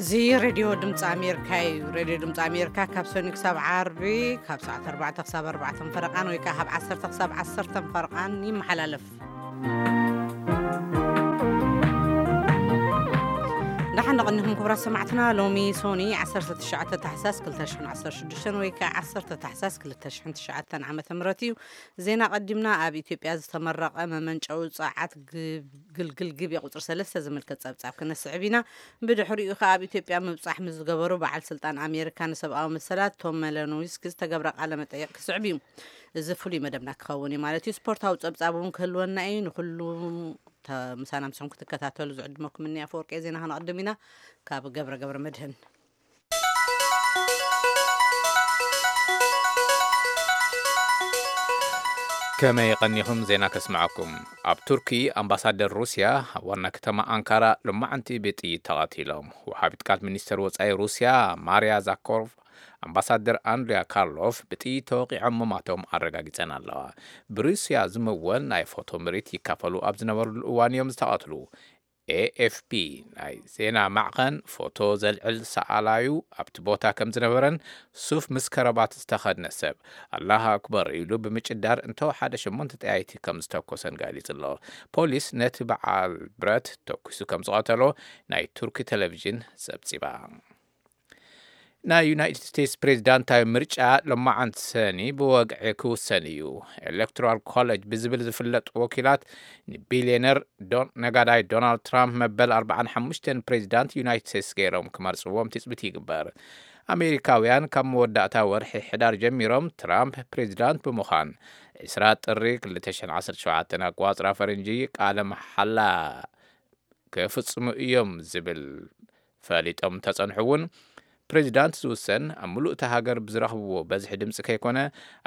እዚ ሬድዮ ድምፂ ኣሜሪካ እዩ። ሬድዮ ድምፂ ኣሜሪካ ካብ ሰኒ ክሳብ ዓርቢ ካብ ሰዓት ኣርባዕተ ክሳብ ኣርባዕተ ፈረቓን ወይ ከዓ ካብ ዓሰርተ ክሳብ ዓሰርተ ፈረቓን ይመሓላለፍ። ደሓን ንቕንኹም ክቡራት ሰማዕትና። ሎሚ ሶኒ ዓሰርተ ትሽዓተ ታሕሳስ ክልተ ሽሕን ዓሰርተ ሽዱሽተን ወይ ከዓ ዓሰርተ ታሕሳስ ክልተ ሽሕን ትሽዓተን ዓመተ ምህረት እዩ። ዜና ቀዲምና። ኣብ ኢትዮጵያ ዝተመረቐ መመንጨዊ ጸዓት ግብ-፣ ግልግል ግቤ ቁጽሪ ሰለስተ ዝምልከት ጸብጻብ ክነስዕብ ኢና። ብድሕሪኡ ከኣ ኣብ ኢትዮጵያ ምብጻሕ ምስ ዝገበሩ በዓል ስልጣን ኣሜሪካ ንሰብኣዊ መሰላት ቶም መለኖዊስኪ ዝተገብረ ቃለ መጠይቕ ክስዕብ እዩ። እዚ ፍሉይ መደብና ክኸውን እዩ ማለት እዩ። ስፖርታዊ ጸብጻብ እውን ክህልወና እዩ። ንኹሉ ተ-፣ ምሳና ምስኹም ክትከታተሉ ዝዕድመኩም እኒ ኣፈወርቂ ዜና ክነቕድም ኢና። ካብ ገብረ ገብረ መድህን። ከመይ ቀኒኹም? ዜና ከስምዓኩም። ኣብ ቱርኪ ኣምባሳደር ሩስያ ኣብ ዋና ከተማ ኣንካራ ሎማዕንቲ ብጥይት ተቐቲሎም። ወሃቢት ቃል ሚኒስተር ወጻኢ ሩስያ ማርያ ዛኮቭ ኣምባሳደር ኣንድሪያ ካርሎቭ ብጥይት ተወቒዖም ምማቶም ኣረጋጊጸን ኣለዋ። ብሩስያ ዝምወል ናይ ፎቶ ምርኢት ይካፈሉ ኣብ ዝነበሩሉ እዋን እዮም ዝተቐትሉ። ኤኤፍፒ ናይ ዜና ማዕኸን ፎቶ ዘልዕል ሰኣላዩ ኣብቲ ቦታ ከም ዝነበረን ሱፍ ምስ ከረባት ዝተኸድነ ሰብ ኣላህ ኣክበር ኢሉ ብምጭዳር እንተወሓደ ሸሞንተ ጠያይቲ ከም ዝተኮሰን ገሊጹ ኣሎ። ፖሊስ ነቲ በዓል ብረት ተኩሱ ከም ዝቐተሎ ናይ ቱርኪ ቴሌቪዥን ጸብጺባ። ናይ ዩናይትድ ስቴትስ ፕሬዚዳንታዊ ምርጫ ሎማዓንቲ ሰኒ ብወግዒ ክውሰን እዩ። ኤሌክቶራል ኮሌጅ ብዝብል ዝፍለጥ ወኪላት ንቢልዮነር ዶን-፣ ነጋዳይ ዶናልድ ትራምፕ መበል ኣርባዓን ሓሙሽተን ፕሬዚዳንት ዩናይትድ ስቴትስ ገይሮም ክመርጽዎም ትጽቢት ይግበር። ኣሜሪካውያን ካብ መወዳእታ ወርሒ ሕዳር ጀሚሮም ትራምፕ ፕሬዚዳንት ብምዃን ዕስራ ጥሪ ክልተ ሽሕን ዓሰርተ ሸውዓተን ኣቋጽራ ፈረንጂ ቃለ መሓላ ክፍጽሙ እዮም ዝብል ፈሊጦም እንተጸንሑ እውን፣ ፕሬዚዳንት ዝውሰን ኣብ ምሉእ እታ ሃገር ብዝረኽብዎ በዝሒ ድምፂ ከይኮነ፣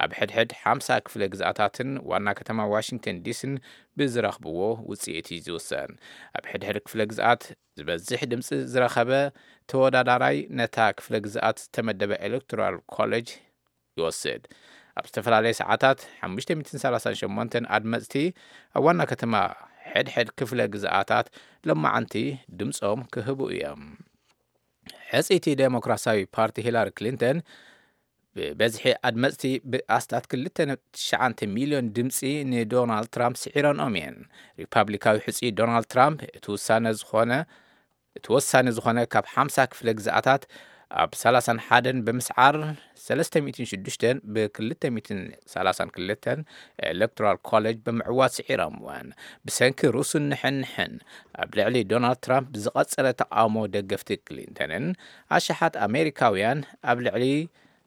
ኣብ ሕድሕድ ሓምሳ ክፍለ ግዝኣታትን ዋና ከተማ ዋሽንግተን ዲሲን ብዝረኽብዎ ውፅኢት እዩ ዝውሰን። ኣብ ሕድሕድ ክፍለ ግዝኣት ዝበዝሕ ድምፂ ዝረኸበ ተወዳዳራይ ነታ ክፍለ ግዝኣት ዝተመደበ ኤሌክቶራል ኮሌጅ ይወስድ። ኣብ ዝተፈላለየ ሰዓታት ሓሙሽተ ሚእትን ሰላሳን ሸሞንተን ኣድመፅቲ ኣብ ዋና ከተማ ሕድሕድ ክፍለ ግዝኣታት ሎማዓንቲ ድምፆም ክህቡ እዮም። ሕፅይቲ ዴሞክራሲያዊ ፓርቲ ሂላሪ ክሊንተን ብበዝሒ ኣድመፅቲ ብኣስታት ክልተ ነጥቢ ትሽዓተ ሚልዮን ድምፂ ንዶናልድ ትራምፕ ስዒረንኦም እየን። ሪፓብሊካዊ ሕፁይ ዶናልድ ትራምፕ እቲ ውሳነ ዝኾነ እቲ ወሳኒ ዝኾነ ካብ ሓምሳ ክፍለ ግዝኣታት ኣብ ሰላሳን ሓደን ብምስዓር ሰለስተ ሚእትን ሽዱሽተን ብ ክልተ ሚእትን ሰላሳን ክልተን ኤሌክቶራል ኮሌጅ ብምዕዋት ስዒሮምወን። ብሰንኪ ሩስን ንሕንሕን ኣብ ልዕሊ ዶናልድ ትራምፕ ብዝቐጸለ ተቃውሞ ደገፍቲ ክሊንተንን ኣሽሓት ኣሜሪካውያን ኣብ ልዕሊ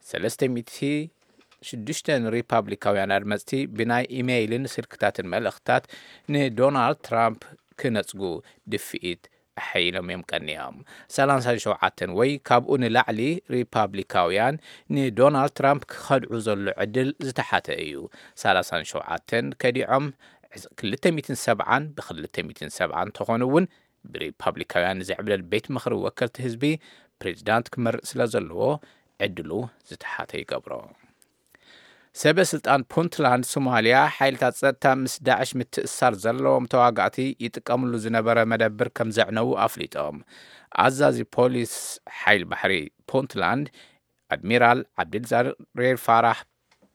ሰለስተ ሚእቲ ሽዱሽተን ሪፓብሊካውያን ኣድመፅቲ ብናይ ኢሜይልን ስልክታትን መልእኽትታት ንዶናልድ ትራምፕ ክነፅጉ ድፍኢት ኣሐይሎም እዮም ቀኒዮም። ሰላሳን ሸውዓተን ወይ ካብኡ ንላዕሊ ሪፓብሊካውያን ንዶናልድ ትራምፕ ክኸድዑ ዘሎ ዕድል ዝተሓተ እዩ። ሰላሳን ሸውዓተን ከዲዖም፣ ክልተ ሚእትን ሰብዓን ብክልተ ሚእትን ሰብዓን እንተኾኑ እውን፣ ብሪፓብሊካውያን ዝዕብለል ቤት ምኽሪ ወከልቲ ህዝቢ ፕሬዚዳንት ክመርጽ ስለ ዘለዎ ዕድሉ ዝተሓተ ይገብሮ። ሰበ ስልጣን ፑንትላንድ ሶማልያ፣ ሓይልታት ጸጥታ ምስ ዳዕሽ ምትእሳር ዘለዎም ተዋጋእቲ ይጥቀምሉ ዝነበረ መደብር ከም ዘዕነዉ ኣፍሊጦም። ኣዛዚ ፖሊስ ሓይል ባሕሪ ፑንትላንድ ኣድሚራል ዓብድልዛሬር ፋራህ፣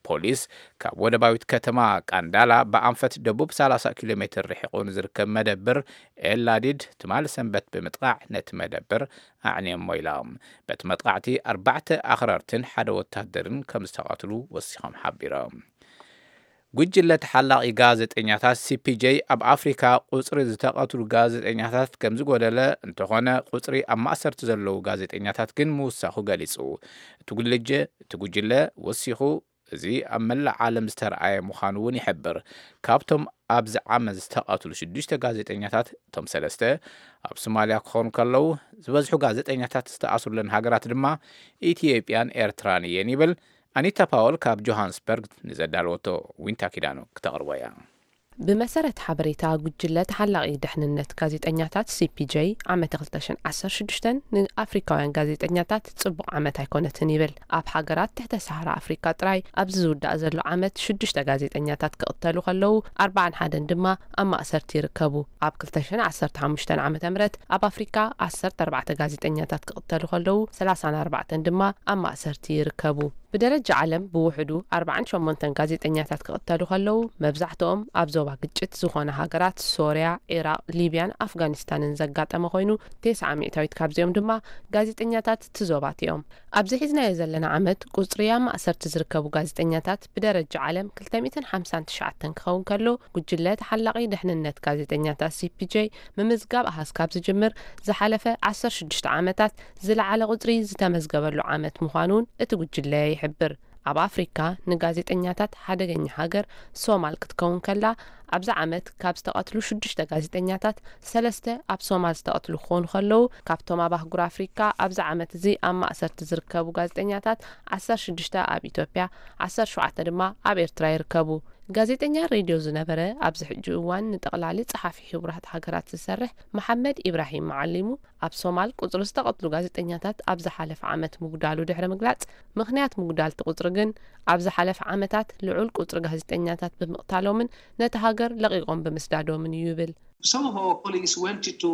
ፖሊስ ካብ ወደባዊት ከተማ ቃንዳላ ብኣንፈት ደቡብ ሰላሳ ኪሎ ሜትር ርሒቑ ንዝርከብ መደብር ኤላዲድ ትማሊ ሰንበት ብምጥቃዕ ነቲ መደብር ኣዕንዮሞ ኢሎም። በቲ መጥቃዕቲ ኣርባዕተ ኣኽረርትን ሓደ ወታደርን ከም ዝተቐትሉ ወሲኾም ሓቢሮም። ጉጅለ ተሓላቒ ጋዜጠኛታት ሲፒጄ ኣብ ኣፍሪካ ቁፅሪ ዝተቐትሉ ጋዜጠኛታት ከም ዝጎደለ እንተኾነ፣ ቁፅሪ ኣብ ማእሰርቲ ዘለዉ ጋዜጠኛታት ግን ምውሳኹ ገሊጹ። እቲ ጉልጀ-፣ እቲ ጉጅለ ወሲኹ፣ እዚ ኣብ መላእ ዓለም ዝተረኣየ ምዃኑ እውን ይሕብር። ካብቶም ኣብዚ ዓመት ዝተቐትሉ ሽዱሽተ ጋዜጠኛታት፣ እቶም ሰለስተ ኣብ ሶማልያ ክኾኑ ከለዉ፣ ዝበዝሑ ጋዜጠኛታት ዝተኣስሩለን ሃገራት ድማ ኢትዮጵያን ኤርትራን እየን ይብል። ኣኒታ ፓወል ካብ ጆሃንስበርግ ንዘዳለወቶ ዊንታ ኪዳኑ ክተቕርቦ እያ። ብመሰረት ሓበሬታ ጉጅለ ተሓላቒ ደሕንነት ጋዜጠኛታት ሲ ፒ ጄ፣ ዓመት ክልተ ሽሕን ዓሰርተ ሽዱሽተን ንኣፍሪካውያን ጋዜጠኛታት ጽቡቕ ዓመት ኣይኮነትን ይብል። ኣብ ሃገራት ትሕተ ሰሃራ ኣፍሪካ ጥራይ ኣብዚ ዝውዳእ ዘሎ ዓመት ሽዱሽተ ጋዜጠኛታት ክቕተሉ ከለዉ፣ ኣርባዓን ሓደን ድማ ኣብ ማእሰርቲ ይርከቡ። ኣብ ክልተ ሽሕን ዓሰርተ ሓሙሽተን ዓመተ ምህረት ኣብ ኣፍሪካ ዓሰርተ ኣርባዕተ ጋዜጠኛታት ክቕተሉ ከለዉ፣ ሰላሳን ኣርባዕተን ድማ ኣብ ማእሰርቲ ይርከቡ። ብደረጃ ዓለም ብውሕዱ ኣርባዓን ሸሞንተን ጋዜጠኛታት ክቕተሉ ከለዉ፣ መብዛሕትኦም ኣብ ዞባ ግጭት ዝኾነ ሃገራት ሶርያ፣ ዒራቕ፣ ሊብያን ኣፍጋኒስታንን ዘጋጠመ ኮይኑ፣ ተስዓ ሚእታዊት ካብዚኦም ድማ ጋዜጠኛታት እቲ ዞባት እዮም። ኣብዚ ሒዝናዮ ዘለና ዓመት ቁጽሪ ኣብ ማእሰርቲ ዝርከቡ ጋዜጠኛታት ብደረጃ ዓለም ክልተ ሚእትን ሓምሳን ትሽዓተን ክኸውን ከሎ፣ ጉጅለ ተሓላቒ ደሕንነት ጋዜጠኛታት ሲ ፒ ጄ ምምዝጋብ ኣሃዝ ካብ ዝጅምር ዝሓለፈ ዓሰርተ ሽዱሽተ ዓመታት ዝለዓለ ቁጽሪ ዝተመዝገበሉ ዓመት ምዃኑ እውን እቲ ጉጅለ ይሕብር። ኣብ ኣፍሪካ ንጋዜጠኛታት ሓደገኛ ሃገር ሶማል ክትከውን ከላ፣ ኣብዚ ዓመት ካብ ዝተቐትሉ ሽዱሽተ ጋዜጠኛታት ሰለስተ ኣብ ሶማል ዝተቐትሉ ክኾኑ ከለዉ፣ ካብቶም ኣብ ኣህጉር ኣፍሪካ ኣብዚ ዓመት እዚ ኣብ ማእሰርቲ ዝርከቡ ጋዜጠኛታት ዓሰርተ ሽዱሽተ ኣብ ኢትዮጵያ፣ ዓሰርተ ሸውዓተ ድማ ኣብ ኤርትራ ይርከቡ። ጋዜጠኛ ሬድዮ ዝነበረ፣ ኣብዚ ሕጂ እዋን ንጠቕላሊ ጸሓፊ ሕቡራት ሃገራት ዝሰርሕ መሓመድ ኢብራሂም መዓሊሙ፣ ኣብ ሶማል ቁጽሪ ዝተቐትሉ ጋዜጠኛታት ኣብ ዝሓለፈ ዓመት ምጉዳሉ ድሕሪ ምግላጽ፣ ምኽንያት ምጉዳል እቲ ቁጽሪ ግን ኣብ ዝሓለፈ ዓመታት ልዑል ቁጽሪ ጋዜጠኛታት ብምቕታሎምን ነቲ ሃገር ለቒቖም ብምስዳዶምን እዩ ይብል። Some of our colleagues went to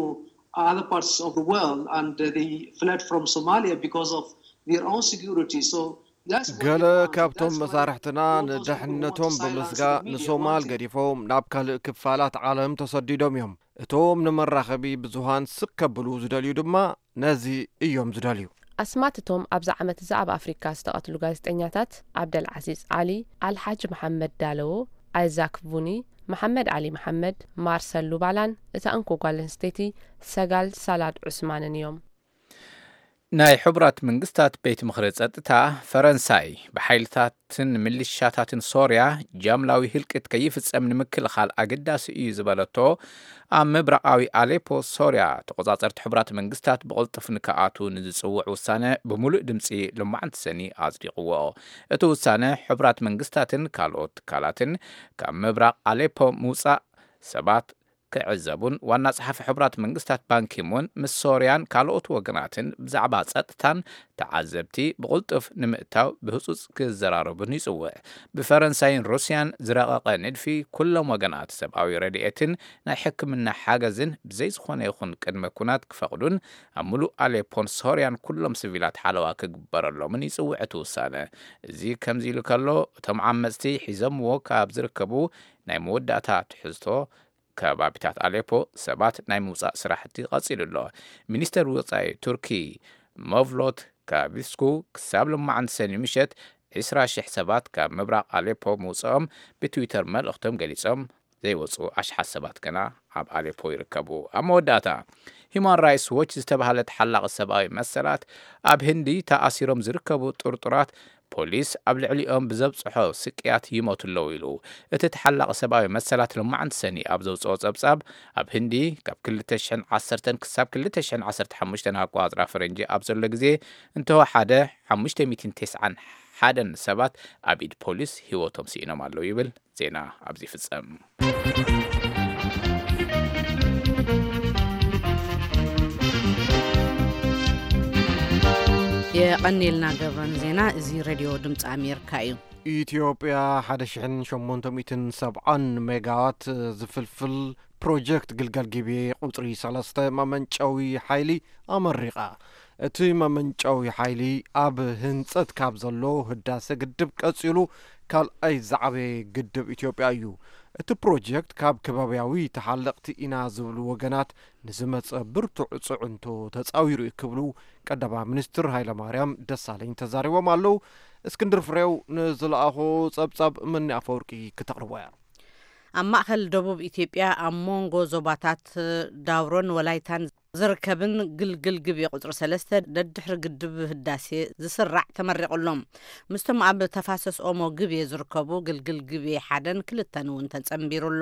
other parts of the world and uh, they fled from Somalia because of their own security. So that's what ገለ they want. ካብቶም That's why መሳርሕትና all those people who want ንድሕነቶም to silence ብምስጋእ the media ንሶማል wanted ገዲፎም ናብ ካልእ ክፋላት ዓለም ተሰዲዶም እዮም። እቶም ንመራኸቢ ብዙሃን ስቅ ከብሉ ዝደልዩ ድማ ነዚ እዮም ዝደልዩ። ኣስማት እቶም ኣብዚ ዓመት እዚ ኣብ ኣፍሪካ ዝተቐትሉ ጋዜጠኛታት፣ ዓብደል ዓዚዝ ዓሊ፣ ኣልሓጅ መሓመድ ዳለዎ፣ ኣይዛክ ቡኒ፣ መሓመድ ዓሊ መሓመድ፣ ማርሰል ሉባላን እታ እንኮ ጓል ኣንስተይቲ ሰጋል ሳላድ ዑስማንን እዮም። ናይ ሕቡራት መንግስታት ቤት ምኽሪ ጸጥታ፣ ፈረንሳይ ብሓይልታትን ምልሻታትን ሶርያ ጃምላዊ ህልቂት ከይፍጸም ንምክልኻል ኣገዳሲ እዩ ዝበለቶ፣ ኣብ ምብራቓዊ ኣሌፖ ሶርያ ተቖጻጸርቲ ሕቡራት መንግስታት ብቕልጡፍ ንክኣትዉ ንዝጽውዕ ውሳነ ብምሉእ ድምጺ ሎማዕንቲ ሰኒ ኣጽዲቕዎ። እቲ ውሳነ፣ ሕቡራት መንግስታትን ካልኦት ትካላትን ካብ ምብራቕ ኣሌፖ ምውጻእ ሰባት ክዕዘቡን ዋና ጸሓፊ ሕቡራት መንግስታት ባንኪሙን ምስ ሶርያን ካልኦት ወገናትን ብዛዕባ ጸጥታን ተዓዘብቲ ብቕልጡፍ ንምእታው ብህጹጽ ክዘራረቡን ይጽውዕ። ብፈረንሳይን ሩስያን ዝረቐቐ ንድፊ፣ ኩሎም ወገናት ሰብኣዊ ረድኤትን ናይ ሕክምና ሓገዝን ብዘይ ዝኾነ ይኹን ቅድመ ኩናት ክፈቕዱን ኣብ ምሉእ ኣሌፖን ሶርያን ኩሎም ሲቪላት ሓለዋ ክግበረሎምን ይጽውዕ እቲ ውሳነ። እዚ ከምዚ ኢሉ ከሎ፣ እቶም ዓመጽቲ ሒዞምዎ ካብ ዝርከቡ ናይ መወዳእታ ትሕዝቶ ከባቢታት ኣሌፖ ሰባት ናይ ምውጻእ ስራሕቲ ቀጺሉ ኣሎ። ሚኒስተር ወጻኢ ቱርኪ መቭሎት ካቪስኩ ክሳብ ሎማዓንቲ ሰኒ ምሸት ዕስራ ሽሕ ሰባት ካብ ምብራቕ ኣሌፖ ምውጽኦም ብትዊተር መልእኽቶም ገሊጾም፣ ዘይወጹ ኣሽሓት ሰባት ግና ኣብ ኣሌፖ ይርከቡ። ኣብ መወዳእታ፣ ሂማን ራይትስ ዎች ዝተባህለ ተሓላቒ ሰብኣዊ መሰላት ኣብ ህንዲ ተኣሲሮም ዝርከቡ ጥርጡራት ፖሊስ ኣብ ልዕሊኦም ብዘብጽሖ ስቅያት ይሞቱ ኣለዉ ኢሉ። እቲ ተሓላቒ ሰብኣዊ መሰላት ሎማዓንቲ ሰኒ ኣብ ዘውጽኦ ጸብጻብ፣ ኣብ ህንዲ ካብ ክልተ ሽሕን ዓሰርተን ክሳብ ክልተ ሽሕን ዓሰርተ ሓሙሽተን ኣቆጻጽራ ፈረንጂ ኣብ ዘሎ ግዜ እንተወሓደ ሓሙሽተ ሚእትን ተስዓን ሓደን ሰባት ኣብ ኢድ ፖሊስ ህይወቶም ስኢኖም ኣለዉ ይብል። ዜና ኣብዚ ይፍጸም። የቐኔልና ገብረ ንዜና። እዚ ሬድዮ ድምፂ ኣሜሪካ እዩ። ኢትዮጵያ ሓደ ሽሕን ሸሞንተ ሚእትን ሰብዓን ሜጋዋት ዝፍልፍል ፕሮጀክት ግልገል ግቤ ቁፅሪ ሰለስተ መመንጨዊ ሓይሊ ኣመሪቓ። እቲ መመንጨዊ ሓይሊ ኣብ ህንፀት ካብ ዘሎ ህዳሰ ግድብ ቀፂሉ ካልኣይ ዝዓበየ ግድብ ኢትዮጵያ እዩ። እቲ ፕሮጀክት ካብ ከባብያዊ ተሓለቕቲ ኢና ዝብሉ ወገናት ንዝመፀ ብርቱዕ ፅዕንቶ ተፃዊሩ እዩ ክብሉ ቀዳማይ ሚኒስትር ሃይለማርያም ደሳለኝ ተዛሪቦም ኣለዉ። እስክንድር ፍሬው ንዝለኣኾ ጸብጻብ መኒ ኣፈወርቂ ክተቕርቦ እያ። ኣብ ማእከል ደቡብ ኢትዮጵያ ኣብ መንጎ ዞባታት ዳውሮን ወላይታን ዝርከብን ግልግል ግቤ ቁጽሪ ሰለስተ ደድሕሪ ግድብ ህዳሴ ዝስራዕ ተመሪቑ ኣሎ። ምስቶም ኣብ ተፋሰስ ኦሞ ግቤ ዝርከቡ ግልግል ግቤ ሓደን ክልተን እውን ተጸንቢሩ ኣሎ።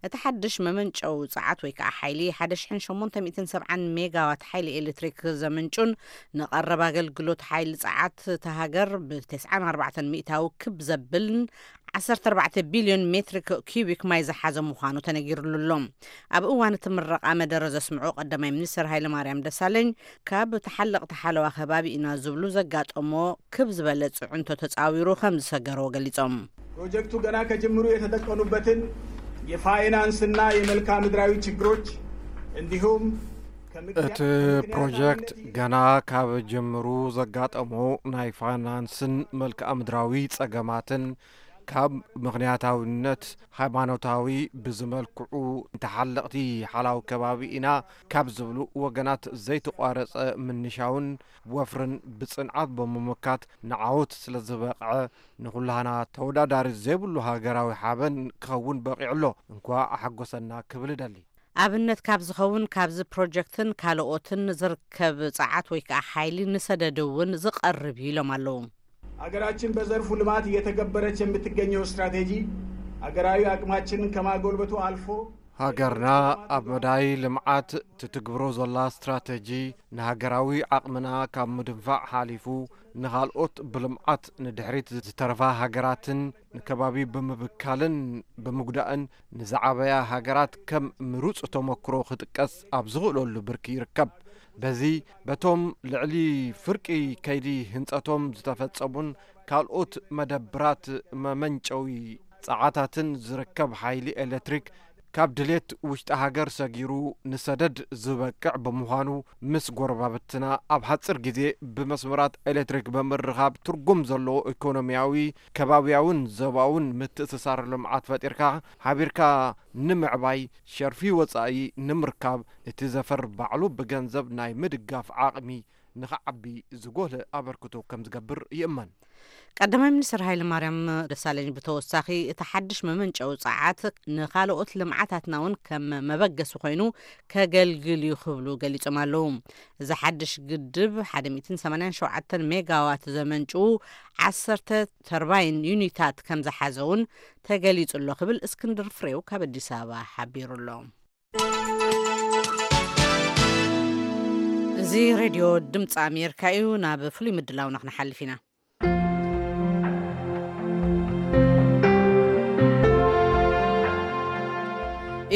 እቲ ሓድሽ መመንጨዊ ጸዓት ወይ ከዓ ሓይሊ ሓደ ሽሕን ሸሞንተ ሚእትን ሰብዓን ሜጋዋት ሓይሊ ኤሌክትሪክ ዘምንጩን ንቐረብ ኣገልግሎት ሓይሊ ጸዓት እታ ሃገር ብተስዓን ኣርባዕተን ሚእታዊ ክብ ዘብልን ዓሰርተ ኣርባዕተ ቢልዮን ሜትሪክ ኪዩቢክ ማይ ዝሓዘ ምዃኑ ተነጊሩሉ ኣሎ። ኣብ እዋን እቲ ምረቓ መደረ ዘስምዑ ቀዳማይ ሚኒስትር ሃይለማርያም ደሳለኝ፣ ካብ ተሓለቕቲ ሓለዋ ከባቢ ኢና ዝብሉ ዘጋጠሞ ክብ ዝበለ ጽዕንቶ ተጻዊሩ ከም ዝሰገርዎ ገሊጾም። ፕሮጀክቱ ገና ከጅምሩ የተጠቀኑበትን የፋይናንስና የመልክዓ ምድራዊ ችግሮች እንዲሁም እቲ ፕሮጀክት ገና ካብ ጅምሩ ዘጋጠሞ ናይ ፋይናንስን መልክዓ ምድራዊ ጸገማትን ካብ ምኽንያታዊነት ሃይማኖታዊ ብዝመልክዑ ተሓለቕቲ ሓላው ከባቢ ኢና ካብ ዝብሉ ወገናት ዘይተቋረጸ ምንሻውን ወፍርን ብጽንዓት ብምምካት ንዓወት ስለ ዝበቕዐ ንኹላህና ተወዳዳሪ ዘይብሉ ሃገራዊ ሓበን ክኸውን በቒዑ ኣሎ። እንኳ ኣሓጎሰና ክብል እደሊ። ኣብነት ካብ ዝኸውን ካብዚ ፕሮጀክትን ካልኦትን ዝርከብ ጸዓት ወይ ከዓ ሓይሊ ንሰደድ እውን ዝቐርብ እዩ ኢሎም ኣለዉ። አገራችን በዘርፉ ልማት እየተገበረች የምትገኘው ስትራቴጂ አገራዊ አቅማችንን ከማጎልበቱ አልፎ ሃገርና ኣብ መዳይ ልምዓት ትትግብሮ ዘላ ስትራተጂ ንሃገራዊ ዓቕምና ካብ ምድንፋዕ ሓሊፉ ንኻልኦት ብልምዓት ንድሕሪት ዝተረፋ ሃገራትን ንከባቢ ብምብካልን ብምጉዳእን ንዝዓበያ ሃገራት ከም ምሩፅ ተመክሮ ክጥቀስ ኣብ ዝኽእለሉ ብርኪ ይርከብ። በዚ በቶም ልዕሊ ፍርቂ ከይዲ ህንፀቶም ዝተፈፀሙን ካልኦት መደብራት መመንጨዊ ፃዓታትን ዝርከብ ሓይሊ ኤሌክትሪክ ካብ ድሌት ውሽጢ ሃገር ሰጊሩ ንሰደድ ዝበቅዕ ብምዃኑ ምስ ጎረባብትና ኣብ ሓፂር ግዜ ብመስመራት ኤሌክትሪክ ብምርኻብ ትርጉም ዘለዎ ኢኮኖሚያዊ ከባቢያውን ዞባውን ምትእስሳር ልምዓት ፈጢርካ ሓቢርካ ንምዕባይ ሸርፊ ወፃኢ ንምርካብ እቲ ዘፈር ባዕሉ ብገንዘብ ናይ ምድጋፍ ዓቕሚ ንኽዓቢ ዝጎልህ ኣበርክቶ ከም ዝገብር ይእመን። ቀዳማይ ሚኒስትር ሃይለ ማርያም ደሳለኝ ብተወሳኺ እቲ ሓድሽ መመንጨዊ ጸዓት ንኻልኦት ልምዓታትና እውን ከም መበገሲ ኮይኑ ከገልግል እዩ ክብሉ ገሊጾም ኣለዉ። እዚ ሓድሽ ግድብ ሓደ ሚእትን ሰማንያን ሸውዓተን ሜጋዋት ዘመንጭዉ ዓሰርተ ተርባይን ዩኒታት ከም ዝሓዘ እውን ተገሊጹ ኣሎ ክብል እስክንድር ፍሬው ካብ ኣዲስ ኣበባ ሓቢሩ ኣሎ። እዚ ሬድዮ ድምፂ ኣሜሪካ እዩ። ናብ ፍሉይ ምድላውና ክንሓልፍ ኢና።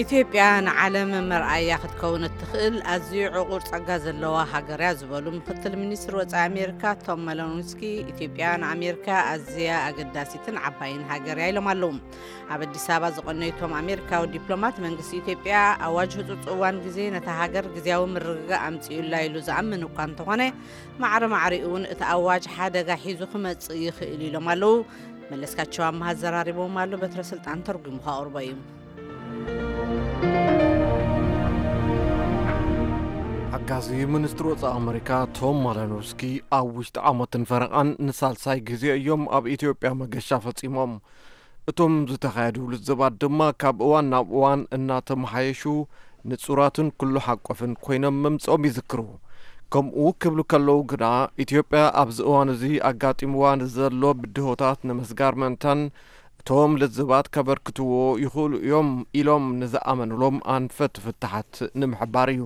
ኢትዮጵያ ንዓለም መርኣያ ክትከውን እትኽእል ኣዝዩ ዕቑር ጸጋ ዘለዋ ሃገር እያ ዝበሉ ምክትል ሚኒስትር ወጻኢ ኣሜሪካ ቶም መሎንስኪ፣ ኢትዮጵያ ንኣሜሪካ ኣዝያ ኣገዳሲትን ዓባይን ሃገር እያ ኢሎም ኣለዉ። ኣብ ኣዲስ ኣበባ ዝቐነዩ እቶም ኣሜሪካዊ ዲፕሎማት፣ መንግስቲ ኢትዮጵያ ኣዋጅ ህጹጽ እዋን ግዜ ነታ ሃገር ግዜያዊ ምርግጋእ ኣምጺኡላ ኢሉ ዝኣምን እኳ እንተኾነ፣ ማዕረ ማዕሪኡ እውን እቲ ኣዋጅ ሓደጋ ሒዙ ክመጽእ ይኽእል ኢሎም ኣለዉ። መለስካቸው ኣመሃ ኣዘራሪቦም ኣሎ። በትረ ስልጣን ተርጒሙ ከቕርቦ እዩ። ሓጋዚ ሚኒስትሪ ወጻኢ ኣመሪካ ቶም ማለኖስኪ ኣብ ውሽጢ ዓመትን ፈረቓን ንሳልሳይ ግዜ እዮም ኣብ ኢትዮጵያ መገሻ ፈጺሞም። እቶም ዝተኻየዱ ልዝባት ድማ ካብ እዋን ናብ እዋን እናተመሓየሹ ንጹራትን ኩሉ ሓቆፍን ኮይኖም ምምጽኦም ይዝክሩ። ከምኡ ክብሉ ከለዉ ግና ኢትዮጵያ ኣብዚ እዋን እዚ ኣጋጢምዋ ንዘሎ ብድሆታት ንምስጋር ምእንታን እቶም ልዝባት ከበርክትዎ ይኽእሉ እዮም ኢሎም ንዝኣመኑሎም ኣንፈት ፍታሓት ንምሕባር እዩ።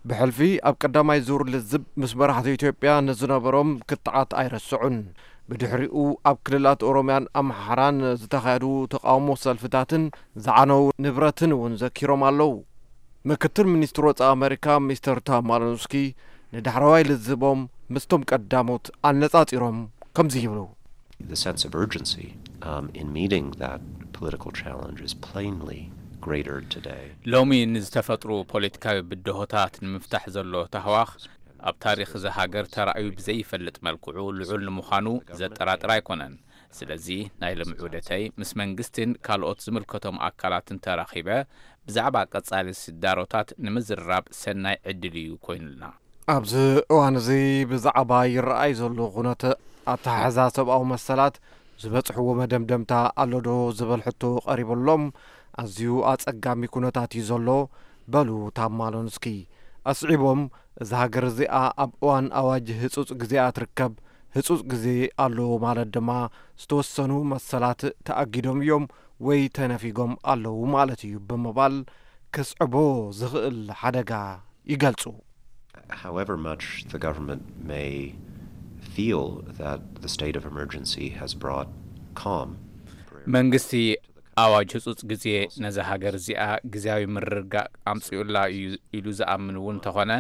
ብሕልፊ ኣብ ቀዳማይ ዙር ልዝብ ምስ መራሕቲ ኢትዮጵያ ንዝነበሮም ክትዓት ኣይረስዑን። ብድሕሪኡ ኣብ ክልላት ኦሮምያን ኣምሓራን ዝተኻየዱ ተቓውሞ ሰልፍታትን ዝዓነው ንብረትን እውን ዘኪሮም ኣለዉ። ምክትል ሚኒስትር ወጻኢ ኣመሪካ ሚስተር ቶም ማሊኖስኪ ንዳሕረዋይ ልዝቦም ምስቶም ቀዳሞት ኣነጻጺሮም ከምዚ ይብሉ። The sense of urgency um, in meeting that political challenge is plainly greater today. ሎሚ ንዝተፈጥሩ ፖለቲካዊ ብድሆታት ንምፍታሕ ዘሎ ታህዋኽ ኣብ ታሪኽ እዛ ሃገር ተራእዩ ብዘይፈልጥ መልክዑ ልዑል ንምዃኑ ዘጠራጥር ኣይኮነን። ስለዚ ናይ ሎሚ ዑደተይ ምስ መንግስትን ካልኦት ዝምልከቶም ኣካላትን ተራኺበ ብዛዕባ ቀጻሊ ስዳሮታት ንምዝርራብ ሰናይ ዕድል እዩ ኮይኑልና። ኣብዚ እዋን እዚ ብዛዕባ ይረኣይ ዘሎ ኩነት ኣተሓሕዛ ሰብኣዊ መሰላት ዝበጽሕዎ መደምደምታ ኣሎ ዶ ዝብል ሕቶ ቀሪቡሎም፣ ኣዝዩ ኣጸጋሚ ኩነታት እዩ ዘሎ በሉ ታማሎንስኪ። ኣስዒቦም፣ እዛ ሃገር እዚኣ ኣብ እዋን ኣዋጅ ህጹጽ ግዜኣ ትርከብ። ህጹጽ ግዜ ኣለዎ ማለት ድማ ዝተወሰኑ መሰላት ተኣጊዶም እዮም ወይ ተነፊጎም ኣለዉ ማለት እዩ ብምባል ክስዕቦ ዝኽእል ሓደጋ ይገልጹ። However much the government may feel that the state of emergency has brought calm, መንግስቲ ኣዋጅ ህጹጽ ግዜ ነዛ ሃገር እዚኣ ግዜያዊ ምርግጋእ ኣምጺኡላ እዩ ኢሉ ዝኣምን እውን እንተኾነ፣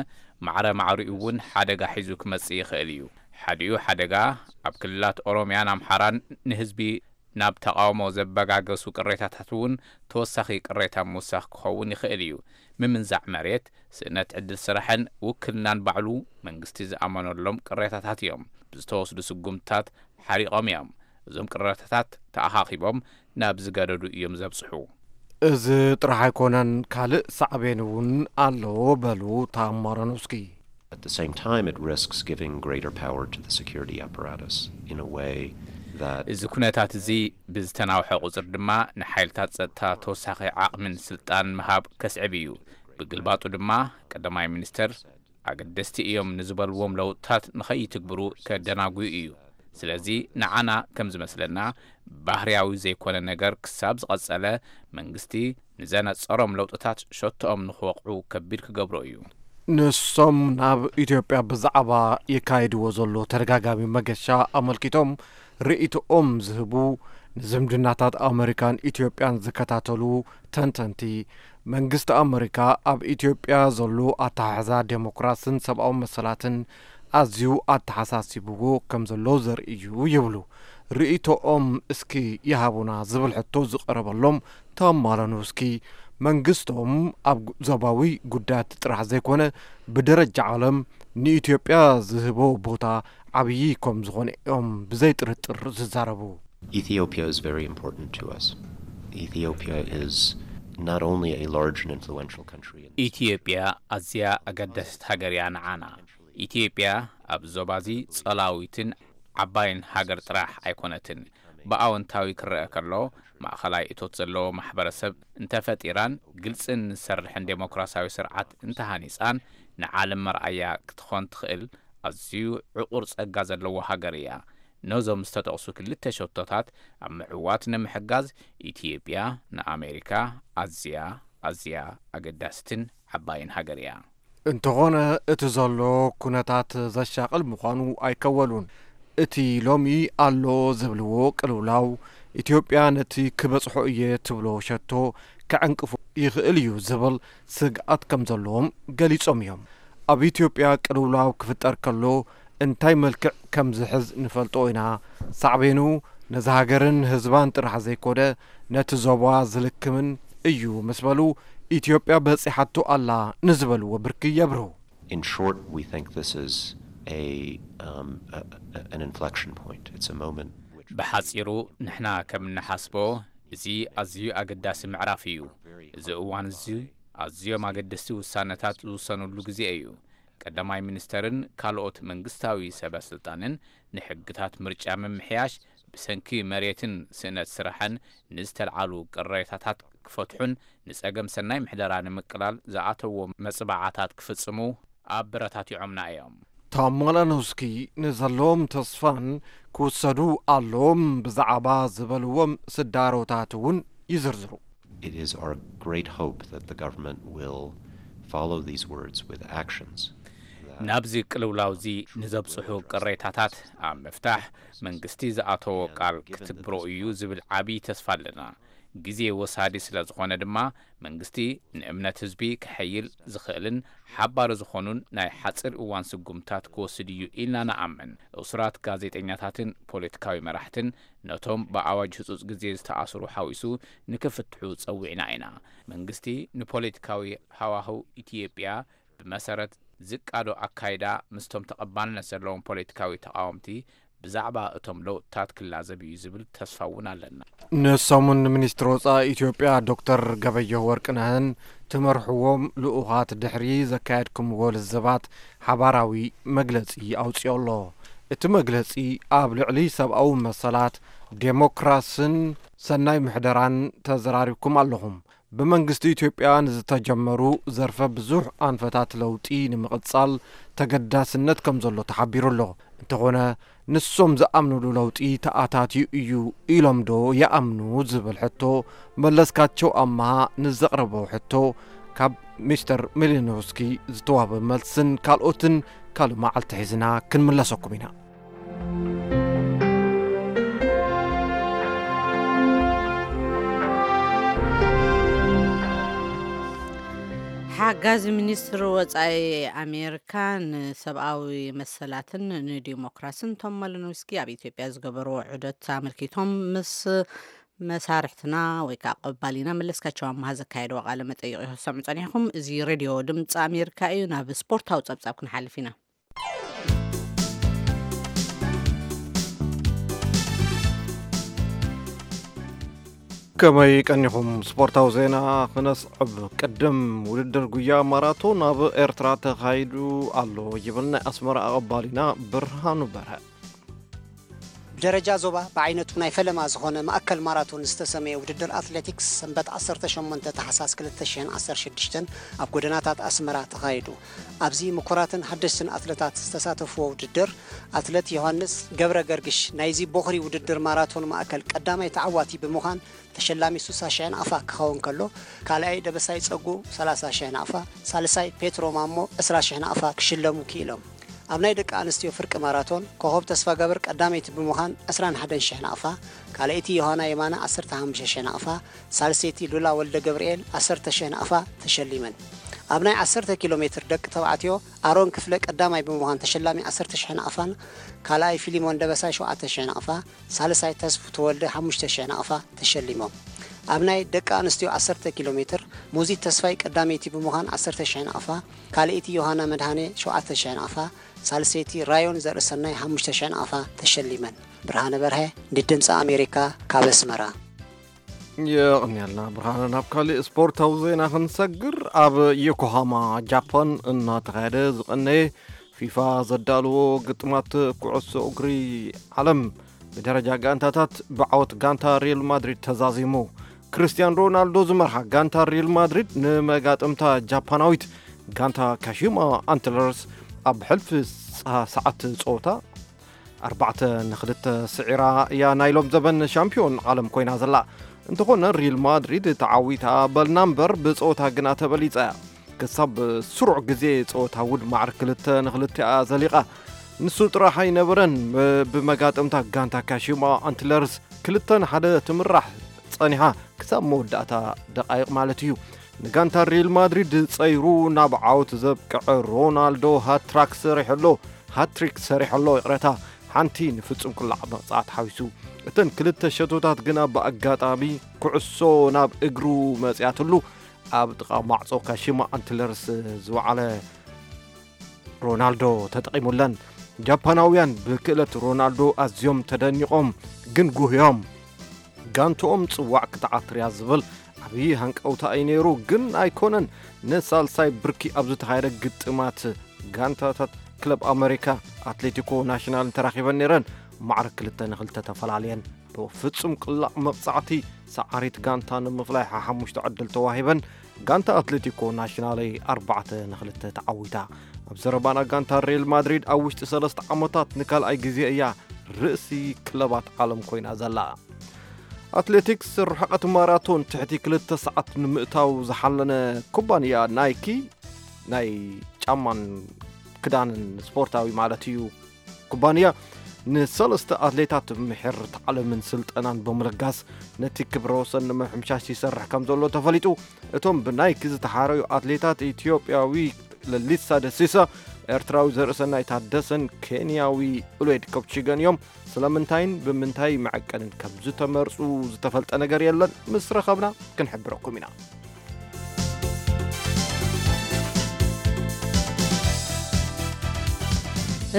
ማዕረ ማዕሪኡ እውን ሓደጋ ሒዙ ክመጽእ ይኽእል እዩ። ሓዲኡ ሓደጋ ኣብ ክልላት ኦሮምያን ኣምሓራን ንህዝቢ ናብ ተቓውሞ ዘበጋገሱ ቅሬታታት እውን ተወሳኺ ቅሬታ ምውሳኽ ክኸውን ይኽእል እዩ። ምምንዛዕ መሬት፣ ስእነት ዕድል ስራሕን ውክልናን ባዕሉ መንግስቲ ዝኣመነሎም ቅሬታታት እዮም። ብዝተወስዱ ስጉምትታት ሓሪቖም እዮም። እዞም ቅሬታታት ተኣኻኺቦም ናብ ዝገደዱ እዮም ዘብጽሑ። እዚ ጥራሕ ኣይኮነን፣ ካልእ ሳዕቤን እውን ኣለዎ በሉ ታማረኖስኪ። At the same time, it risks giving greater power to the security apparatus in a way that እዚ ኩነታት እዚ ብዝተናውሐ ቁጽር ድማ ንሓይልታት ጸጥታ ተወሳኺ ዓቕምን ስልጣን ምሃብ ከስዕብ እዩ። ብግልባጡ ድማ ቀዳማይ ሚኒስተር ኣገደስቲ እዮም ንዝበልዎም ለውጥታት ንኸይትግብሩ ከደናጉዩ እዩ። ስለዚ ንዓና ከም ዝመስለና ባህርያዊ ዘይኮነ ነገር ክሳብ ዝቐጸለ መንግስቲ ንዘነጸሮም ለውጥታት ሸቶኦም ንኽወቕዑ ከቢድ ክገብሮ እዩ። ንሶም ናብ ኢትዮጵያ ብዛዕባ የካይድዎ ዘሎ ተደጋጋሚ መገሻ ኣመልኪቶም ርእይቶኦም ዝህቡ ንዝምድናታት ኣመሪካን ኢትዮጵያን ዝከታተሉ ተንተንቲ መንግስቲ ኣመሪካ ኣብ ኢትዮጵያ ዘሎ ኣተሓሕዛ ዴሞክራስን ሰብኣዊ መሰላትን ኣዝዩ ኣተሓሳሲብዎ ከም ዘሎ ዘርኢ እዩ ይብሉ። ርእይቶኦም እስኪ ይሃቡና ዝብል ሕቶ ዝቐረበሎም ተማለኑ እስኪ መንግስቶም ኣብ ዞባዊ ጉዳያት ጥራሕ ዘይኮነ ብደረጃ ዓለም ንኢትዮጵያ ዝህቦ ቦታ ዓብዪ ከም ዝኾነ እዮም ብዘይ ጥርጥር ዝዛረቡ። Ethiopia is very important to us. Ethiopia is not only a large and influential country in ኢትዮጵያ ኣዝያ ኣገዳሲት ሃገር እያ ንዓና። ኢትዮጵያ ኣብ ዞባዚ ጸላዊትን ዓባይን ሃገር ጥራሕ ኣይኮነትን። ብኣወንታዊ ክረአ ከሎ፣ ማእኸላይ እቶት ዘለዎ ማሕበረሰብ እንተፈጢራን ግልጽን ዝሰርሕን ዴሞክራሲያዊ ስርዓት እንተሃኒጻን ንዓለም መርኣያ ክትኾን ትኽእል ኣዝዩ ዕቑር ጸጋ ዘለዎ ሃገር እያ። ነዞም ዝተጠቕሱ ክልተ ሸቶታት ኣብ ምዕዋት ንምሕጋዝ ኢትዮጵያ ንኣሜሪካ ኣዝያ ኣዝያ ኣገዳስትን ዓባይን ሃገር እያ። እንተኾነ እቲ ዘሎ ኩነታት ዘሻቕል ምዃኑ ኣይከወሉን። እቲ ሎሚ ኣሎ ዝብልዎ ቅልውላው ኢትዮጵያ ነቲ ክበጽሖ እየ ትብሎ ሸቶ ከዕንቅፎ ይኽእል እዩ ዝብል ስግኣት ከም ዘለዎም ገሊጾም እዮም። ኣብ ኢትዮጵያ ቅልውላው ክፍጠር ከሎ እንታይ መልክዕ ከም ዝሕዝ ንፈልጦ ኢና። ሳዕቤኑ ነዚ ሃገርን ህዝባን ጥራሕ ዘይኮነ ነቲ ዞባ ዝልክምን እዩ ምስ በሉ ኢትዮጵያ በጺሓቶ ኣላ ንዝበልዎ ብርኪ የብርሁ። In short, we think this is a, um, a, a- an inflection point. It's a moment which ብሓጺሩ ንሕና ከም እንሓስቦ እዚ ኣዝዩ ኣገዳሲ ምዕራፍ እዩ። እዚ እዋን እዚ ኣዝዮም ኣገደስቲ ውሳነታት ዝውሰኑሉ ግዜ እዩ። ቀዳማይ ሚኒስተርን ካልኦት መንግስታዊ ሰበ ስልጣንን ንሕግታት ምርጫ ምምሕያሽ፣ ብሰንኪ መሬትን ስእነት ስራሕን ንዝተልዓሉ ቅሬታታት ክፈትሑን ንጸገም ሰናይ ምሕደራ ንምቅላል ዝኣተዎ መጽባዓታት ክፍጽሙ ኣበረታቲዖምና እዮም። ቶም ማላኖስኪ ንዘለዎም ተስፋን ክውሰዱ ኣለዎም ብዛዕባ ዝበልዎም ስዳሮታት እውን ይዝርዝሩ። It is our great hope that the government will follow these words with actions. ናብዚ ቅልውላውዚ ንዘብጽሑ ቅሬታታት ኣብ ምፍታሕ መንግስቲ ዝኣተዎ ቃል ክትግብሮ እዩ ዝብል ዓብዪ ተስፋ ኣለና። ግዜ ወሳዲ ስለ ዝኾነ ድማ መንግስቲ ንእምነት ህዝቢ ክሕይል ዝኽእልን ሓባሪ ዝኾኑን ናይ ሓፂር እዋን ስጉምታት ክወስድ እዩ ኢልና ንኣምን። እሱራት ጋዜጠኛታትን ፖለቲካዊ መራሕትን ነቶም ብኣዋጅ ህፁፅ ግዜ ዝተኣስሩ ሓዊሱ ንክፍትሑ ፀዊዕና ኢና። መንግስቲ ንፖለቲካዊ ሃዋህው ኢትዮጵያ ብመሰረት ዝቃዶ ኣካይዳ ምስቶም ተቐባልነት ዘለዎም ፖለቲካዊ ተቓወምቲ ብዛዕባ እቶም ለውጥታት ክላዘብ እዩ ዝብል ተስፋ እውን ኣለና። ንሰሙን ሚኒስትር ወፃኢ ኢትዮጵያ ዶክተር ገበየሁ ወርቅነህን ትመርሕዎም ልኡኻት ድሕሪ ዘካየድኩምዎ ልዝባት ሓባራዊ መግለፂ ኣውፅኦ ኣሎ። እቲ መግለፂ ኣብ ልዕሊ ሰብኣዊ መሰላት፣ ዴሞክራስን ሰናይ ምሕደራን ተዘራሪብኩም ኣለኹም። ብመንግስቲ ኢትዮጵያ ንዝተጀመሩ ዘርፈ ብዙሕ ኣንፈታት ለውጢ ንምቕጻል ተገዳስነት ከም ዘሎ ተሓቢሩ ኣሎ። እንተኾነ ንሶም ዝኣምኑሉ ለውጢ ተኣታትዩ እዩ ኢሎም ዶ ይኣምኑ ዝብል ሕቶ መለስካቸው ኣማሃ ንዘቕረቦ ሕቶ ካብ ሚስተር ሚሊኖስኪ ዝተዋህበ መልስን ካልኦትን ካልእ መዓልቲ ሒዝና ክንምለሰኩም ኢና። ሓጋዚ ሚኒስትር ወጻኢ ኣሜሪካ ንሰብኣዊ መሰላትን ንዲሞክራስን ቶም ማሊኖውስኪ ኣብ ኢትዮጵያ ዝገበርዎ ዑደት ኣመልኪቶም ምስ መሳርሕትና ወይ ከዓ ቀባሊና መለስካቸው ኣምሃ ዘካየድዎ ቃለ መጠይቕ ኢኹም ትሰምዑ ጸኒሕኩም። እዚ ሬድዮ ድምፂ ኣሜሪካ እዩ። ናብ ስፖርታዊ ጸብጻብ ክንሓልፍ ኢና። ከመይ ቀኒኹም? ስፖርታዊ ዜና ክነስዕብ። ቅድም ውድድር ጉያ ማራቶን ኣብ ኤርትራ ተኻይዱ ኣሎ ይብል ናይ ኣስመራ ኣቐባሊና ብርሃኑ በርሀ። ብደረጃ ዞባ ብዓይነቱ ናይ ፈለማ ዝኾነ ማእከል ማራቶን ዝተሰመየ ውድድር ኣትሌቲክስ ሰንበት ዓሰርተ ሸሞንተ ታሕሳስ ክልተ ሽሕን ዓሰርተ ሽዱሽተን ኣብ ጎደናታት ኣስመራ ተኻይዱ። ኣብዚ ምኩራትን ሓደሽትን ኣትለታት ዝተሳተፍዎ ውድድር፣ ኣትለት ዮሃንስ ገብረ ገርግሽ ናይዚ ቦኽሪ ውድድር ማራቶን ማእከል ቀዳማይ ተዓዋቲ ብምዃን ተሸላሚ ስሳ ሽሕ ናቕፋ ክኸውን ከሎ፣ ካልኣይ ደበሳይ ጸጉ ሰላሳ ሽሕ ናቕፋ፣ ሳልሳይ ፔትሮ ማሞ ዕስራ ሽሕ ናቕፋ ክሽለሙ ክኢሎም። ኣብ ናይ ደቂ ኣንስትዮ ፍርቂ ማራቶን ኮኸብ ተስፋ ገብር ቀዳመይቲ ብምዃን ዕስራን ሓደን ሽሕ ናቕፋ፣ ካልኣይቲ ዮሃና የማነ ዓሰርተ ሓሙሽተ ሽሕ ናቕፋ፣ ሳልሰይቲ ሉላ ወልደ ገብርኤል ዓሰርተ ሽሕ ናቕፋ ተሸሊመን። ኣብ ናይ ዓሰርተ ኪሎ ሜትር ደቂ ተባዕትዮ ኣሮን ክፍለ ቀዳማይ ብምዃን ተሸላሚ ዓሰርተ ሽሕ ናቕፋን ካልኣይ ፊሊሞን ደበሳይ ሸውዓተ ሽሕ ናቕፋ፣ ሳልሳይ ተስፉ ተወልደ ሓሙሽተ ሽሕ ናቕፋ ተሸሊሞም። ኣብ ናይ ደቂ ኣንስትዮ ዓሰርተ ኪሎ ሜትር ሙዚት ተስፋይ ቀዳመይቲ ብምዃን ዓሰርተ ሽሕ ናቕፋ፣ ካልኣይቲ ዮሃና መድሃኔ ሸውዓተ ሽሕ ናቕፋ፣ ሳልሰይቲ ራዮን ዘርእሰናይ ሓሙሽተ ሽሕ ናቕፋ ተሸሊመን። ብርሃነ በርሀ ንድምፂ ኣሜሪካ ካብ ኣስመራ። የቕንየልና ብርሃነ። ናብ ካሊእ ስፖርታዊ ዜና ክንሰግር፣ ኣብ ዮኮሃማ ጃፓን እናተኻየደ ዝቐነየ ፊፋ ዘዳልዎ ግጥማት ኩዕሶ እግሪ ዓለም ብደረጃ ጋንታታት ብዓወት ጋንታ ሪል ማድሪድ ተዛዚሙ። ክርስቲያን ሮናልዶ ዝመርሓ ጋንታ ሪል ማድሪድ ንመጋጥምታ ጃፓናዊት ጋንታ ካሺማ ኣንትለርስ ኣብ ሕልፊ ሰ-፣ ሰዓት ጸወታ ኣርባዕተ ንኽልተ ስዒራ እያ ናይ ሎም ዘበን ሻምፒዮን ዓለም ኮይና ዘላ። እንተኾነ ሪል ማድሪድ ተዓዊታ በልና እምበር ብጸወታ ግና ተበሊጻ እያ። ክሳብ ስሩዕ ግዜ ጸወታ እውን ማዕረ ክልተ ንኽልተ እያ ዘሊቓ። ንሱ ጥራሕ ኣይነበረን፣ ብ-፣ ብመጋጥምታ ጋንታ ካሺማ ኣንትለርስ ክልተ ንሓደ ትምራሕ ጸኒሓ ክሳብ መወዳእታ ደቃይቕ ማለት እዩ። ንጋንታ ሪል ማድሪድ ጸይሩ ናብ ዓወት ዘብቅዐ ሮናልዶ ሃትራክ ሰሪሑ ኣሎ። ሃትሪክ ሰሪሑ ኣሎ፣ ይቕረታ፣ ሓንቲ ንፍጹም ቅላዕ መቕጻዕቲ ሓዊሱ። እተን ክልተ ሸቶታት ግና ብኣጋጣሚ ኩዕሶ ናብ እግሩ መጺኣትሉ ኣብ ጥቓ ማዕጾ ካሺማ ኣንትለርስ ዝወዓለ ሮናልዶ ተጠቒሙለን። ጃፓናውያን ብክእለት ሮናልዶ ኣዝዮም ተደኒቖም፣ ግን ጉህዮም። ጋንትኦም ጽዋዕ ክትዓትር እያ ዝብል ዓብዪ ሃንቀውታ እዩ ነይሩ፣ ግን ኣይኮነን። ንሳልሳይ ብርኪ ኣብ ዝተኻየደ ግጥማት ጋንታታት ክለብ ኣመሪካ ኣትሌቲኮ ናሽናልን ተራኺበን ነይረን። ማዕረ ክልተ ንኽልተ ተፈላለየን። ብፍጹም ቅላዕ መቕጻዕቲ ሰዓሪት ጋንታ ንምፍላይ ሓሙሽተ ዕድል ተዋሂበን። ጋንታ ኣትሌቲኮ ናሽናለይ ኣርባዕተ ንኽልተ ተዓዊታ። ኣብ ዘረባና ጋንታ ሪል ማድሪድ ኣብ ውሽጢ ሰለስተ ዓመታት ንካልኣይ ግዜ እያ ርእሲ ክለባት ዓለም ኮይና ዘላ። ኣትሌቲክስ ርሕቐት ማራቶን ትሕቲ ክልተ ሰዓት ንምእታው ዝሓለነ ኩባንያ ናይኪ፣ ናይ ጫማን ክዳንን ስፖርታዊ ማለት እዩ፣ ኩባንያ ንሰለስተ ኣትሌታት ምሕር ታዕለምን ስልጠናን ብምልጋስ ነቲ ክብረ ወሰን ንምሕምሻሽ ይሰርሕ ከም ዘሎ ተፈሊጡ። እቶም ብናይኪ ዝተሓረዩ ኣትሌታት ኢትዮጵያዊ ለሊሳ ደሲሳ፣ ኤርትራዊ ዘርእሰናይ ታደሰን ኬንያዊ ኡልዌድ ኮፕቺገን እዮም። ስለምንታይን ብምንታይ መዐቀንን ከም ዝተመርጹ ዝተፈልጠ ነገር የለን። ምስ ረኸብና ክንሕብረኩም ኢና።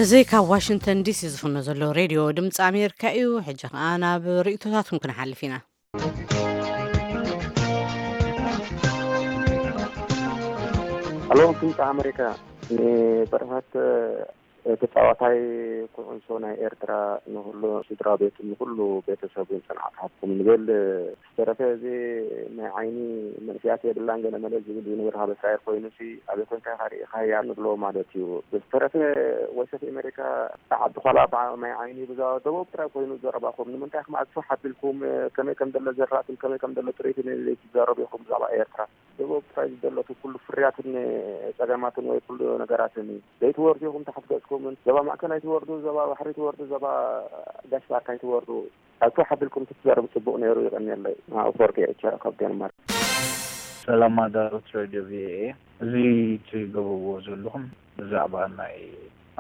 እዚ ካብ ዋሽንግተን ዲሲ ዝፍኖ ዘሎ ሬድዮ ድምፂ ኣሜሪካ እዩ። ሕጂ ኸዓ ናብ ርእይቶታትኩም ክንሓልፍ ኢና። ኣሎ ድምፂ ኣሜሪካ፣ ንበረኸት ተፃዋታይ ኩዕሶ ናይ ኤርትራ፣ ንኩሉ ስድራ ቤቱ፣ ንኩሉ ቤተሰቡን ፅንዓት ሃብኩም ንብል። ዝተረፈ እዚ ናይ ዓይኒ መንእስያት የብላን ገለ መለ ዝብል ዝንብር ካብ እስራኤል ኮይኑ ሲ ኣበይ ኮንካ ኢኻ ርኢኻያ ንብሎ ማለት እዩ። ብዝተረፈ ቮይስ ኦፍ ኣሜሪካ ዓዲ ኳላ ናይ ዓይኒ ብዛዕባ ደቡብ ጥራይ ኮይኑ ዘረባኹም ንምንታይ ኢኹም ኣዝሑ ሓቢልኩም ከመይ ከም ዘሎ ዘራእትን ከመይ ከም ዘሎ ጥሪትን ዘይትዛረቡ ኢኹም ብዛዕባ ኤርትራ። ደቡብ ጥራይ ዝደለቱ ኩሉ ፍርያትን ጸገማትን ወይ ኩሉ ነገራትን እዩ። ዘይትወርዱ ኢኹም ታሕት ገጽኩምን። ዞባ ማእከል ኣይትወርዱ፣ ዞባ ባሕሪ ኣይትወርዱ፣ ዞባ ጋሽ ባርካ ኣይትወርዱ። ኣዝሑ ሓቢልኩም ትዛረቡ ጽቡቕ ነይሩ። ይቐንየለይ። ኣፈወርቂ ኤርትራ ካብ ዴንማርክ። ሰላም ኣዳለውቲ ሬድዮ ቪኦኤ፣ እዚ ትገብርዎ ዘለኹም ብዛዕባ ናይ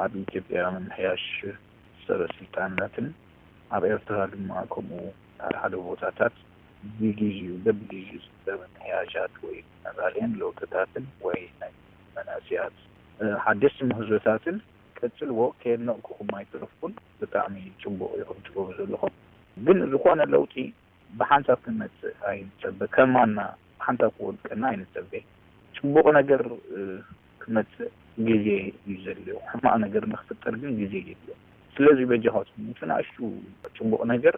ኣብ ኢትዮጵያ ምምሕያሽ ሰበ ስልጣናትን ኣብ ኤርትራ ድማ ከምኡ ሓደ ሓደ ቦታታት ብግዜኡ በብግዜኡ ዝግበር ምምሕያሻት ወይ መባልየን ለውጥታትን ወይ ናይ መናእሰያት ሓደስቲ ምህዞታትን ቀጽልዎ፣ ከየድነቕኩኹም ኣይተረፍኩን። ብጣዕሚ ጽቡቕ ኢኹም ትገብሩ ዘለኹም። ግን ዝኾነ ለውጢ ብሓንሳብ ክመጽእ ኣይንጸበ። ከማና ሓንሳብ ክወድቀና ኣይንጸበ። ጽቡቕ ነገር ክመጽእ ግዜ እዩ ዘድልዮ። ሕማቕ ነገር ንክፍጠር ግን ግዜ የድልዮ። ስለዚ በጃኻትኩም እቲ ንኣሽቱ ጽቡቕ ነገር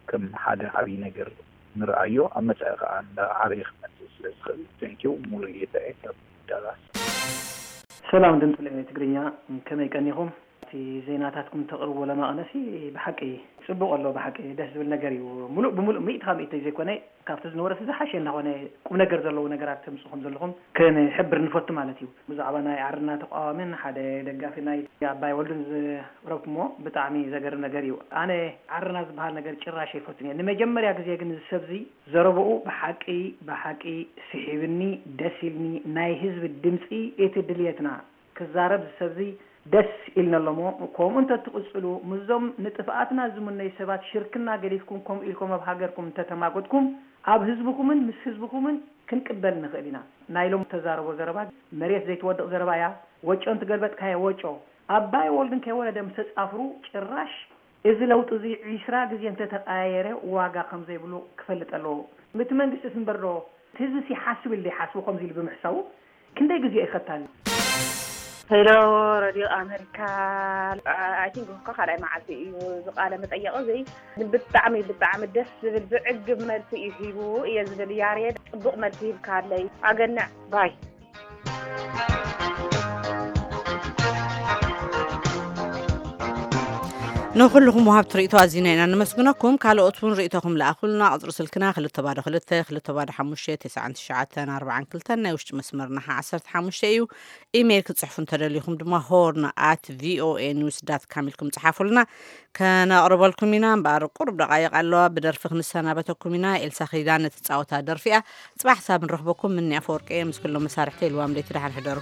ከም ሓደ ዓብዪ ነገር ንርኣዮ። ኣብ መጻኢ ከኣ እንዳ ዓበየ ክመጽእ ስለ ዝኽእል። Thank you ሙሉጌታ እየ ካብ ዳላስ። ሰላም ድምፂ ለሚ ትግርኛ፣ ከመይ ቀኒኹም? እቲ ዜናታትኩም ተቕርብዎ ለማቕነሲ ብሓቂ ጽቡቕ ኣሎ። ብሓቂ ደስ ዝብል ነገር እዩ። ሙሉእ ብሙሉእ ሚእቲ ካብ ሚእቲ ዘይኮነ ካብቲ ዝነበረስ ዝሓሸ እናኾነ ቁም ነገር ዘለዎ ነገራት ተምጽኡ ከም ዘለኹም ክንሕብር ንፈቱ ማለት እዩ። ብዛዕባ ናይ ዓርና ተቃዋምን ሓደ ደጋፊ ናይ ኣባይ ወልዱን ዘቕረብኩሞ ብጣዕሚ ዘገርም ነገር እዩ። ኣነ ዓርና ዝበሃል ነገር ጭራሽ ኣይፈቱን እየ። ንመጀመርያ ግዜ ግን እዚ ሰብዚ ዘረብኡ ብሓቂ ብሓቂ ስሒብኒ፣ ደስ ኢልኒ። ናይ ህዝቢ ድምጺ እቲ ድልየትና ክዛረብ እዚ ሰብዚ ደስ ኢልኒ ኣሎ እሞ ከምኡ እንተትቕጽሉ ምስዞም ንጥፍኣትና ዝምነዩ ሰባት ሽርክና ገዲፍኩም ከምኡ ኢልኩም ኣብ ሃገርኩም እንተተማጎትኩም ኣብ ህዝብኹምን ምስ ህዝብኹምን ክንቅበል ንኽእል ኢና። ናይ ሎሚ እተዛረቦ ዘረባ መሬት ዘይትወድቕ ዘረባ እያ። ወጮ እንትገልበጥካዮ ወጮ ኣባይ ወልድን ከይወለደ ምስ ተጻፍሩ ጭራሽ እዚ ለውጢ እዚ ዒስራ ግዜ እንተተቀያየረ ዋጋ ከም ዘይብሉ ክፈልጥ ኣለዎ። እቲ መንግስቲስ እምበር ዶ እቲ ህዝብስ ይሓስብ ኢሉ ዶ ይሓስቦ ከምዚ ኢሉ ብምሕሳቡ ክንደይ ግዜ እዩ ከታሊ። ሄሎ ረድዮ ኣመሪካ፣ I think እኮ ካልኣይ መዓልቲ እዩ እዚ ቃለ መጠየቕ እዚ። ብጣዕሚ ብጣዕሚ ደስ ዝብል ዝዕግብ መልሲ እዩ ሂቡ እየ ዝብል ያሬድ፣ ጽቡቕ መልሲ ሂብካለይ። ኣገንዕ ባይ። ንኹልኹም ወሃብቲ ርእይቶ ኣዚና ኢና ነመስግነኩም። ካልኦት እውን ርእይቶኹም ለኣኹልና። ቁጽሪ ስልክና ክልተ ባዶ ክልተ ክልተ ባዶ ሓሙሽተ ተስዓን ትሽዓተን ኣርባዓን ክልተን፣ ናይ ውሽጢ መስመርና ሓ ዓሰርተ ሓሙሽተ እዩ። ኢሜይል ክትጽሕፉ እንተደሊኹም ድማ ሆርን ኣት ቪኦኤ ኒውስ ዳት ካም ኢልኩም ጽሓፉልና፣ ከነቕርበልኩም ኢና። እምበኣር ቁሩብ ደቓይቕ ኣለዋ፣ ብደርፊ ክንሰናበተኩም ኢና። ኤልሳ ኪዳነ ትጻወታ ደርፊ እያ። ጽባሕ ሳብ ንረኽበኩም። ምኒ ኣፈወርቂ እየ ምስ ኩሎም መሳርሕተይ። ልዋም ለይቲ ደሓን ሕደሩ።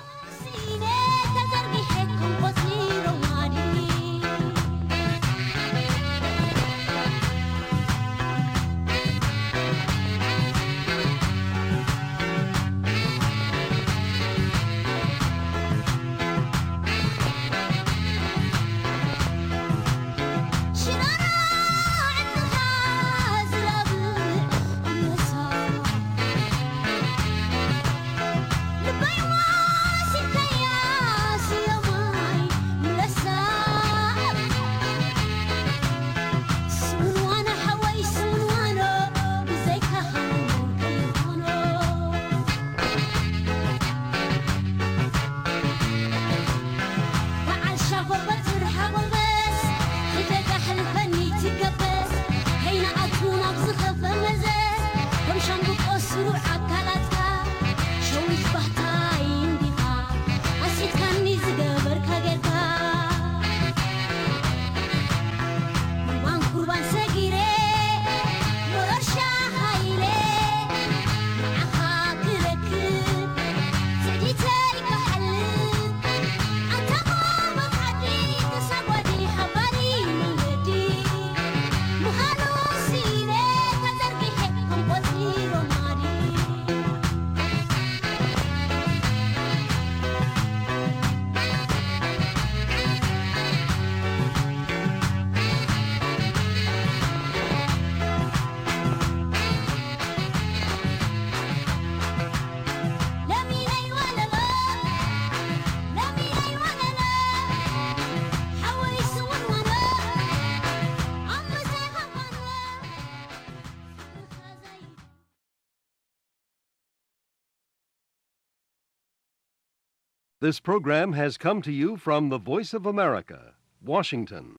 This program has come to you from the Voice of America, Washington.